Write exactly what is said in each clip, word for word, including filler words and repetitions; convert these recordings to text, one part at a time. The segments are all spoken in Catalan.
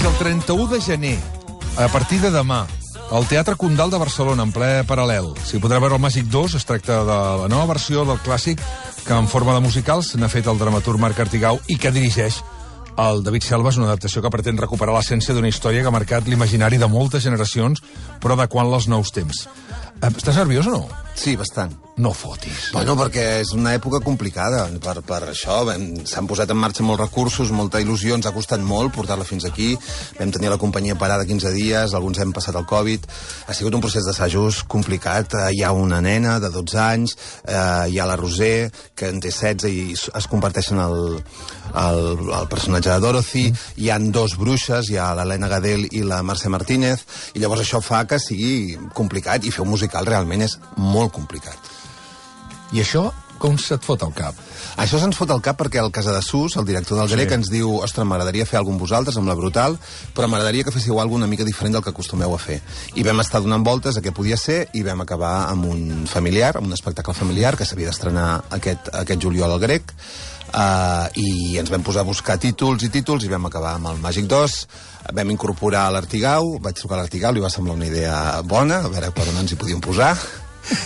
el trenta-u de gener, a partir de demà, al Teatre Condal de Barcelona, en ple paral·lel. S'hi podrà veure el Màgic dos, es tracta de la nova versió del clàssic que en forma de musicals n'ha fet el dramaturg Marc Artigau i que dirigeix el David Selva. És una adaptació que pretén recuperar l'essència d'una història que ha marcat l'imaginari de moltes generacions, però adequant-la als nous temps. Estàs nerviós o no? Sí, bastant. No fotis. Bueno, perquè és una època complicada. Per, per això s'han posat en marxa molts recursos, molta il·lusió, ens ha costat molt portar-la fins aquí. Vam tenir la companyia parada quinze dies, alguns hem passat el Covid. Ha sigut un procés d'assajos complicat. Hi ha una nena de dotze anys, eh, hi ha la Roser, que en té setze i es comparteixen el, el, el personatge de Dorothy. Mm. Hi han dos bruixes, hi ha l'Helena Gadel i la Mercè Martínez, i llavors això fa que sigui complicat, i fer un musical realment és molt complicat. I això, com se't fot al cap? Això se'ns fot al cap perquè el Casadesús, el director del Grec, sí, ens diu: ostres, m'agradaria fer alguna amb vosaltres, amb la Brutal, però m'agradaria que féssiu alguna una mica diferent del que acostumeu a fer. I vam estar donant voltes a què podia ser i vam acabar amb un familiar, amb un espectacle familiar que s'havia d'estrenar aquest, aquest juliol al Grec, uh, i ens vam posar a buscar títols i títols i vam acabar amb el Màgic dos. Vam incorporar l'Artigau, vaig trucar a l'Artigau, li va semblar una idea bona, a veure per on ens hi podíem posar.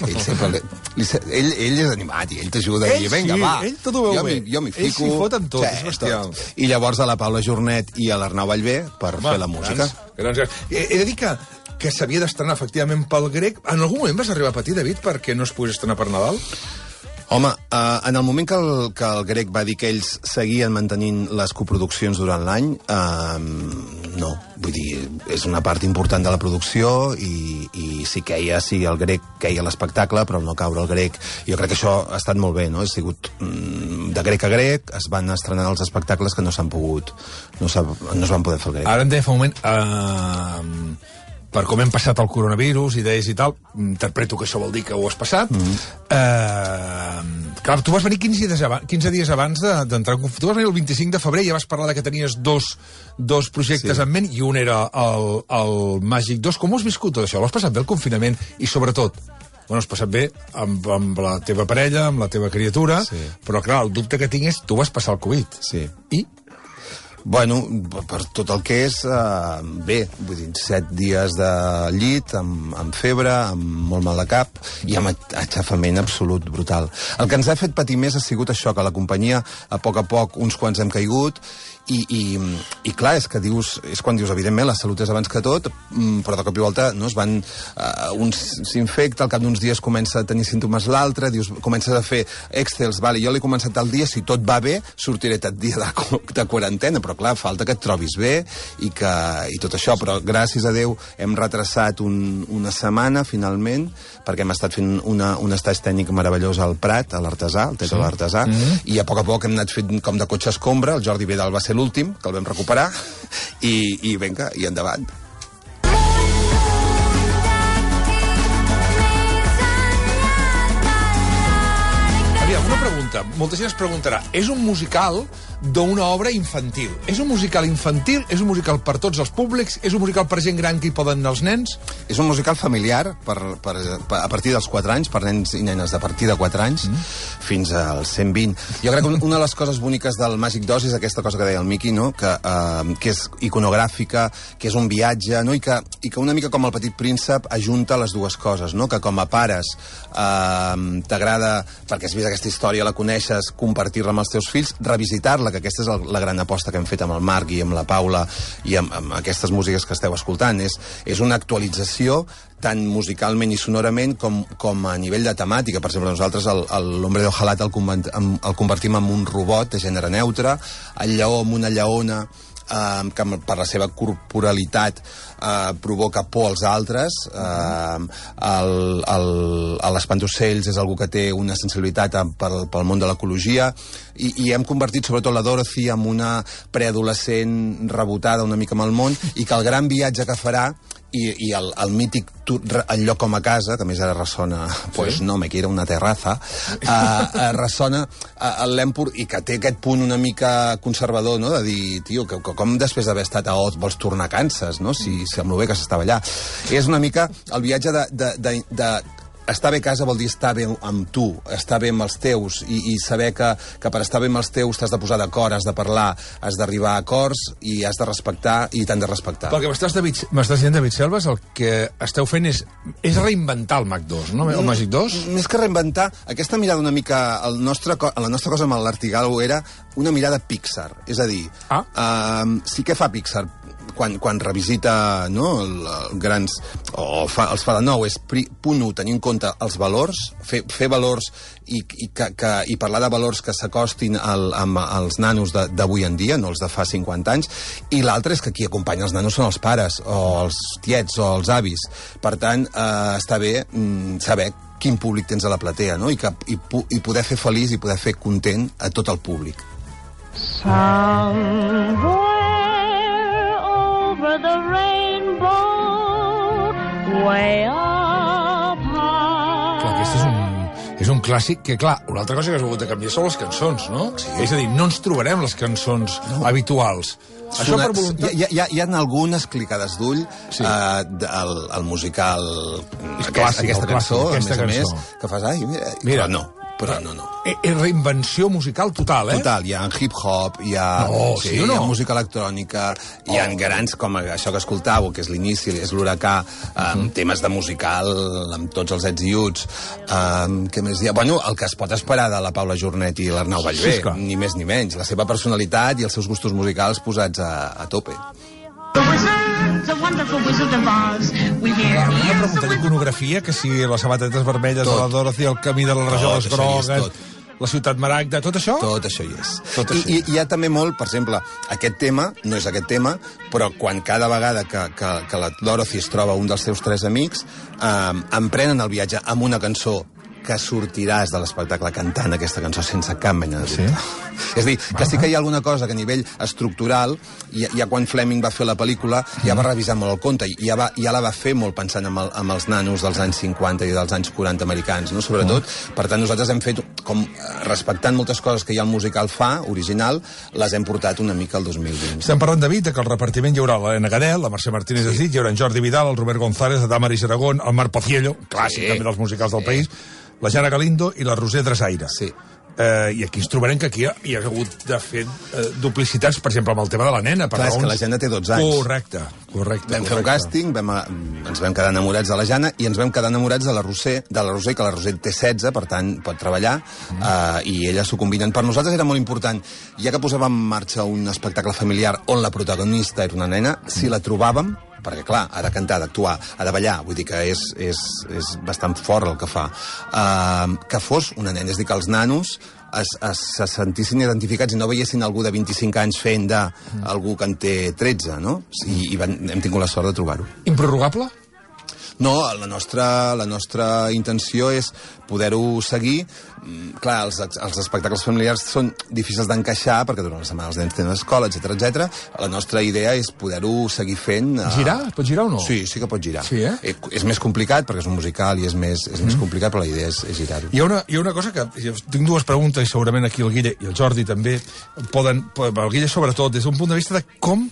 Ell sempre li, li, ell, ell és animat i ell t'ajuda a dir, vinga, sí, va, ell tot ho veu jo bé. jo m'hi fico. Ell s'hi fot amb tot, sí, és bestial. Tot. I llavors a la Paula Jornet i a l'Arnau Vallvé per Home, fer la música. Grans, grans, grans. He, he de dir que, que s'havia d'estrenar efectivament pel Grec. En algun moment vas arribar a patir, David, perquè no es pogués estrenar per Nadal? Home, uh, en el moment que el, que el Grec va dir que ells seguien mantenint les coproduccions durant l'any, uh, no. Vull dir, és una part important de la producció i, i sí queia, sí, el Grec queia l'espectacle, però no caure el Grec. Jo crec que això ha estat molt bé, no? Ha sigut mm, de Grec a Grec, es van estrenar els espectacles que no s'han pogut, no, no es van poder fer el Grec. Ara em deia fa un moment... Uh... per com hem passat el coronavirus, idees i tal, interpreto que això vol dir que ho has passat. Mm-hmm. eh, clar, tu vas venir quinze dies abans, quinze dies abans d'entrar en conflicte. Tu vas venir el vint-i-cinc de febrer i ja vas parlar de que tenies dos, dos projectes sí. en ment, i un era el, el Màgic dos. Com ho has viscut tot això? L'has passat bé el confinament? I sobretot, bueno, has passat bé amb, amb la teva parella, amb la teva criatura, sí. però clar, el dubte que tinc és, tu vas passar el Covid. Sí. I? Bueno, per tot el que és, uh, bé, vull dir, set dies de llit, amb, amb febre, amb molt mal de cap, i amb aixafament absolut brutal. El que ens ha fet patir més ha sigut això, que la companyia, a poc a poc, uns quants hem caigut, i, i, i clar, és que dius, és quan dius, evidentment, la salut és abans que tot, però de cop i volta, no, es van, uh, un s'infecta, al cap d'uns dies comença a tenir símptomes l'altre, dius, comences a fer excels, vale, jo l'he començat el dia, si tot va bé, sortiré tot dia de, de quarantena, però clar, falta que et trobis bé i, que, i tot això, però gràcies a Déu hem retrasat un, una setmana finalment, perquè hem estat fent una, un estatge tècnic meravellós al Prat, a l'Artesà, al Teatre sí. de l'Artesà, mm-hmm. i a poc a poc hem anat fent com de cotxe escombra. El Jordi Vidal va ser l'últim, que el vam recuperar, i, i vinga, i endavant. Una pregunta, molta gent es preguntarà, és un musical d'una obra infantil. És un musical infantil? És un musical per tots els públics? És un musical per gent gran que hi poden anar els nens? És un musical familiar per, per, per, a partir dels quatre anys, per nens i nenes de partir de quatre anys mm. fins als cent vint. Jo crec que una de les coses boniques del Màgic dos és aquesta cosa que deia el Miqui, no? que, uh, que és iconogràfica, que és un viatge, no? I, que, i que una mica com el Petit Príncep ajunta les dues coses, no? Que com a pares uh, t'agrada, perquè has vist aquesta història, la coneixes, compartir-la amb els teus fills, revisitar-la, que aquesta és el, la gran aposta que hem fet amb el Marc i amb la Paula i amb, amb aquestes músiques que esteu escoltant. És, és una actualització tant musicalment i sonorament com, com a nivell de temàtica. Per exemple, nosaltres l'Hombre de Hojalat el, el convertim en un robot de gènere neutre, el lleó amb una lleona, Uh, que per la seva corporalitat uh, provoca por als altres. Uh, l'Espantocells és algú que té una sensibilitat pel, pel món de l'ecologia, i, i hem convertit sobretot la Dorothy en una preadolescent rebotada una mica amb el món, i que el gran viatge que farà i, i el, el mític el lloc com a casa, que més ara ressona pues sí? no, me quiero una terraza, uh, uh, ressona uh, l'Empur, i que té aquest punt una mica conservador, no? De dir, tio, que, que com després d'haver estat a Oz vols tornar a Kansas, no? Si, si amb lo bé que s'estava allà. És una mica el viatge de, de, de, de estar bé a casa vol dir estar bé amb tu, estar bé amb els teus, i, i saber que, que per estar bé amb els teus t'has de posar d'acord, has de parlar, has d'arribar a acords i has de respectar i t'han de respectar. Perquè m'estàs dient, David Selves, el que esteu fent és, és reinventar el Mac dos, no? El Magic dos? Més que reinventar, aquesta mirada una mica... El nostre, la nostra cosa amb l'Artigalo era una mirada Pixar. És a dir, ah. uh, sí que fa Pixar quan, quan revisita, no, el, el grans... o fa, els fa de nou, és pri, punt u, tenir en compte els valors, fer, fer valors i, i, que, que, i parlar de valors que s'acostin al, amb els nanos d'avui en dia, no els de fa cinquanta anys, i l'altre és que qui acompanya els nanos són els pares, o els tiets, o els avis. Per tant, eh, està bé mm, saber quin públic tens a la platea, no? I, que, i, i poder fer feliç i poder fer content a tot el públic. Somewhere over the rainbow, way up high. Clar, aquest és un, és un clàssic que, clar, una altra cosa que has hagut de canviar són les cançons, no? Sí. És a dir, no ens trobarem les cançons no. habituals. Això Sona, per voluntat... Hi, hi, hi ha algunes clicades d'ull, sí. eh, el, el musical, és aquest, clàssic, aquesta cançó, clàssic, aquesta a més cançó. a més, que fas, ai, mira, mira però no. Però no, no. És reinvenció musical total, eh? Total, hi ha hip-hop, hi ha, no, sí, sí o no? hi ha música electrònica, hi ha oh. grans com això que escoltàveu, que és l'inici, és l'huracà, um, mm. temes de musical amb tots els ets i uts. Um, què més hi ha? Bueno, el que es pot esperar de la Paula Jornet i l'Arnau Ballbé, sí, ni més ni menys. La seva personalitat i els seus gustos musicals posats a, a tope. Una pregunta d'iconografia, que si les sabatetes vermelles tot. De la Dorothy, el camí de les rajoles grogues, la ciutat Maragda, tot això? Tot això hi és. Tot I, I hi ha també molt, per exemple, aquest tema, no és aquest tema, però quan cada vegada que, que, que la Dorothy es troba un dels seus tres amics, eh, emprenen el viatge amb una cançó que sortiràs de l'espectacle cantant aquesta cançó sense cap mena de dubte. Sí? És a dir, que sí que hi ha alguna cosa que a nivell estructural, ja, ja quan Fleming va fer la pel·lícula, ja va revisar molt el conte, i ja, va, ja la va fer molt pensant en, el, en els nanos dels anys cinquanta i dels anys quaranta americans, no? Sobretot. Mm. Per tant, nosaltres hem fet, com respectant moltes coses que ja el musical fa, original, les hem portat una mica al dos mil vint. Estem parlant, David, que el repartiment hi haurà l'Helena Gadel, la Mercè Martínez sí. Esdit, hi haurà en Jordi Vidal, el Robert González, la Damaris Aragón, el Marc Pociello, clàssic sí. també dels musicals del sí. país, la Jana Galindo i la Roser Drasaire. Sí. Eh, I aquí ens trobarem que aquí hi ha hagut de fer eh, duplicitats, per exemple, amb el tema de la nena. Per Clar, raons... és que la Jana té dotze anys. Correcte, correcte. Vam correcte. fer un càsting, vam, ens vam quedar enamorats de la Jana i ens vam quedar enamorats de la Roser, de la Roser, que la Roser té setze, per tant, pot treballar, mm. eh, i elles s'ho combinen. Per nosaltres era molt important, ja que posàvem en marxa un espectacle familiar on la protagonista era una nena, mm. si la trobàvem, perquè, clar, ha de cantar, d'actuar, ha de ballar, vull dir que és, és, és bastant fort el que fa. Uh, que fos una nena, és dir, que els nanos es, es, se sentissin identificats i no veiessin algú de vint-i-cinc anys fent d'algú que en té tretze, no? I, i van, hem tingut la sort de trobar-ho. Improrrogable? No, la nostra, la nostra intenció és poder-ho seguir. Clar, els, els espectacles familiars són difícils d'encaixar perquè durant la setmana els nens tenen escola, etcètera, etcètera. La nostra idea és poder-ho seguir fent. Uh... Girar? Pot girar o no? Sí, sí que pot girar. Sí, eh? eh és més complicat perquè és un musical i és més, és mm. més complicat, però la idea és, és girar-ho. Hi ha, una, hi ha una cosa que... Tinc dues preguntes i segurament aquí el Guille i el Jordi també poden... El Guille sobretot, des d'un punt de vista de com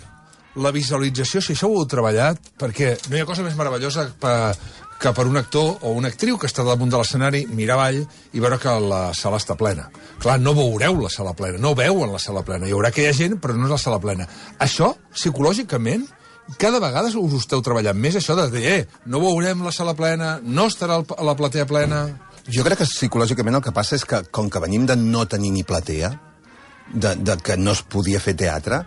la visualització, si això ho heu treballat, perquè no hi ha cosa més meravellosa per, que per un actor o una actriu que està damunt de l'escenari mirar avall i veure que la sala està plena. Clar, no veureu la sala plena, no veuen la sala plena. Hi haurà aquella gent, però no és la sala plena. Això, psicològicament, cada vegada us ho esteu treballant més, això de dir, eh, no veurem la sala plena, no estarà a la platea plena... Jo crec que psicològicament el que passa és que, com que venim de no tenir ni platea, de, de que no es podia fer teatre,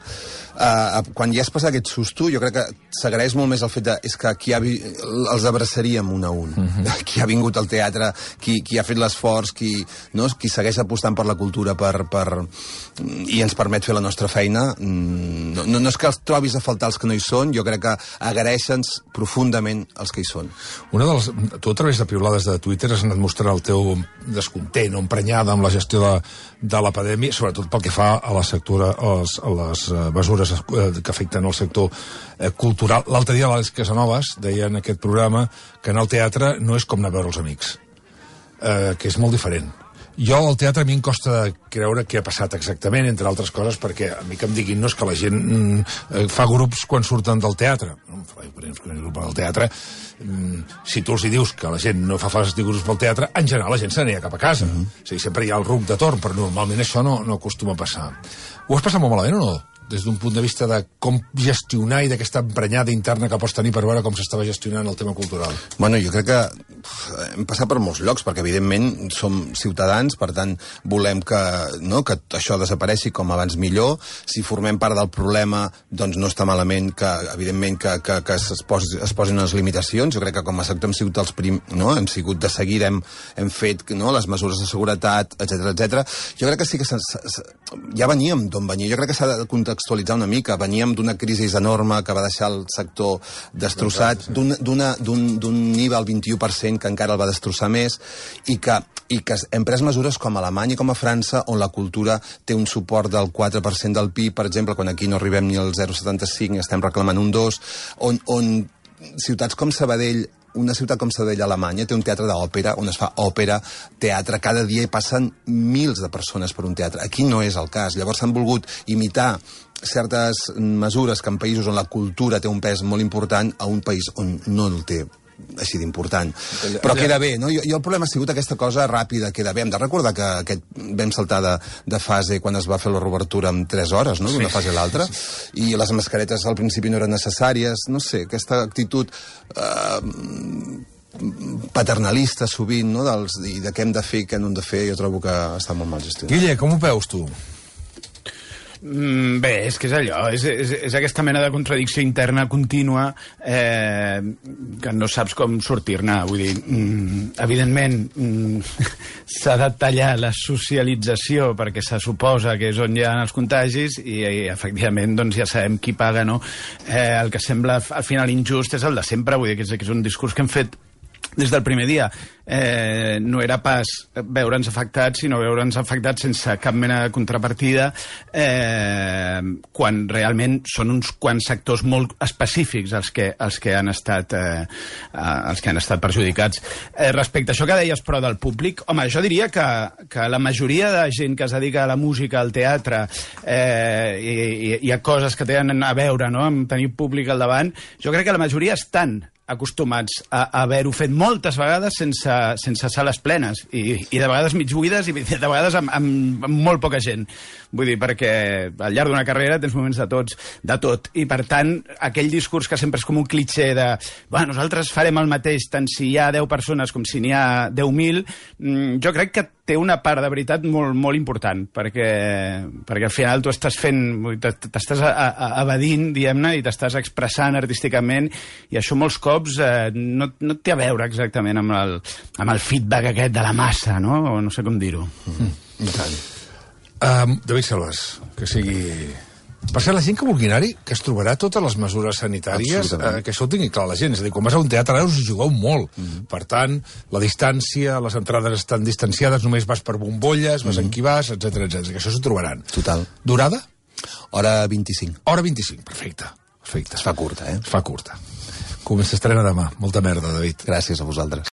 uh, quan ja has passat aquest susto, jo crec que s'agraeix molt més el fet de... És que qui ha vi... els abraçaríem un a un. Mm-hmm. Qui ha vingut al teatre, qui, qui ha fet l'esforç, qui, no? Qui segueix apostant per la cultura per, per... i ens permet fer la nostra feina. No, no, no és que els trobis a faltar els que no hi són, jo crec que agraeixen profundament els que hi són. Una de les... Tu, a través de piulades de Twitter, has anat mostrant el teu descontent o emprenyada amb la gestió de, de la pandèmia, sobretot pel que fa a la sectora, a les, a les mesures que afecten el sector cultural. L'altre dia l'Àlex Casanovas deia en aquest programa que anar al teatre no és com anar a veure els amics, eh, que és molt diferent. Jo, al teatre, a mi em costa creure què ha passat exactament, entre altres coses, perquè a mi que em diguin no és que la gent mm, fa grups quan surten del teatre. No, fa grups del teatre. Mm, si tu els hi dius que la gent no fa fases de grups pel teatre, en general la gent se n'anirà cap a casa. Uh-huh. O sigui, sempre hi ha el ruc de torn, però normalment això no, no acostuma a passar. Ho has passat molt malament o no? Des d'un punt de vista de com gestionar i d'aquesta emprenyada interna que pots tenir per veure com s'estava gestionant el tema cultural. Bueno, jo crec que hem passat per molts llocs, perquè evidentment som ciutadans, per tant volem que, no, que això desapareixi com abans millor. Si formem part del problema, doncs no està malament que, evidentment, que, que, que es, posi, es posin unes limitacions. Jo crec que com a sector hem sigut els prim, no? hem sigut de seguida, hem, hem fet, no, les mesures de seguretat, etcètera, etcètera. Jo crec que sí que se, se, ja veníem d'on venia. Jo crec que s'ha de contextualitzar una mica. Veníem d'una crisi enorme que va deixar el sector destrossat, d'un I V A al vint-i-u per cent que encara el va destrossar més, i que, i que hem pres mesures com a Alemanya i com a França, on la cultura té un suport del quatre per cent del P I B, per exemple, quan aquí no arribem ni al zero coma setanta-cinc, estem reclamant un dos, on, on ciutats com Sabadell, una ciutat com Sabadell, Alemanya, té un teatre d'òpera, on es fa òpera, teatre, cada dia hi passen mils de persones per un teatre. Aquí no és el cas. Llavors s'han volgut imitar certes mesures que en països on la cultura té un pes molt important, a un país on no el té així d'important. Però queda bé, no? Jo, jo el problema ha sigut aquesta cosa ràpida, queda bé. Hem de recordar que aquest, vam saltar de, de fase quan es va fer la reobertura en tres hores, no?, d'una fase a l'altra, i les mascaretes al principi no eren necessàries, no sé, aquesta actitud eh, paternalista sovint, no?, dels, i de què hem de fer i què no hem de fer, jo trobo que està molt mal gestionat. Guille, com ho veus tu? Mm, bé, és que és allò, és, és, és aquesta mena de contradicció interna contínua eh, que no saps com sortir-ne. Vull dir, mm, evidentment mm, s'ha de tallar la socialització perquè se suposa que és on hi ha els contagis i, i efectivament doncs ja sabem qui paga, no? Eh, el que sembla al final injust és el de sempre, vull dir que és, que és un discurs que hem fet des del primer dia. Eh, no era pas veure'ns afectats, sinó veure'ns afectats sense cap mena de contrapartida, eh, quan realment són uns quants sectors molt específics els que, els que, han, estat, eh, els que han estat perjudicats. Eh, respecte a això que deies, però, del públic, home, jo diria que, que la majoria de gent que es dedica a la música, al teatre, eh, i, i, i a coses que tenen a veure, no?, amb tenir públic al davant, jo crec que la majoria estan acostumats a, a haver-ho fet moltes vegades sense, sense sales plenes i, i de vegades mig buides i de vegades amb, amb, amb molt poca gent. Vull dir, perquè al llarg d'una carrera tens moments de tots, de tot. I, per tant, aquell discurs que sempre és com un clitxer de bueno, nosaltres farem el mateix tant si hi ha deu persones com si n'hi ha deu mil, jo crec que té una part de veritat molt, molt important, perquè, perquè al final tu estàs fent, t'estàs evadint, diguem-ne, i t'estàs expressant artísticament, i això molts cops eh, no, no té a veure exactament amb el, amb el feedback aquest de la massa, no? O no sé com dir-ho. Mm. I tant. Um, David Selvas, que sigui... Per ser la gent que vulgui anar-hi, que es trobarà totes les mesures sanitàries, eh, que això ho tingui clar la gent. És a dir, quan vas a un teatre, ara us hi jugueu molt. Mm-hmm. Per tant, la distància, les entrades estan distanciades, només vas per bombolles, vas mm-hmm. en qui vas, etcètera, etcètera. Que això s'ho trobaran. Total. Durada? Hora vint-i-cinc. Hora vint-i-cinc, perfecte. Perfecte. Es fa curta, eh? Es fa curta. Com s'estrena demà. Molta merda, David. Gràcies a vosaltres.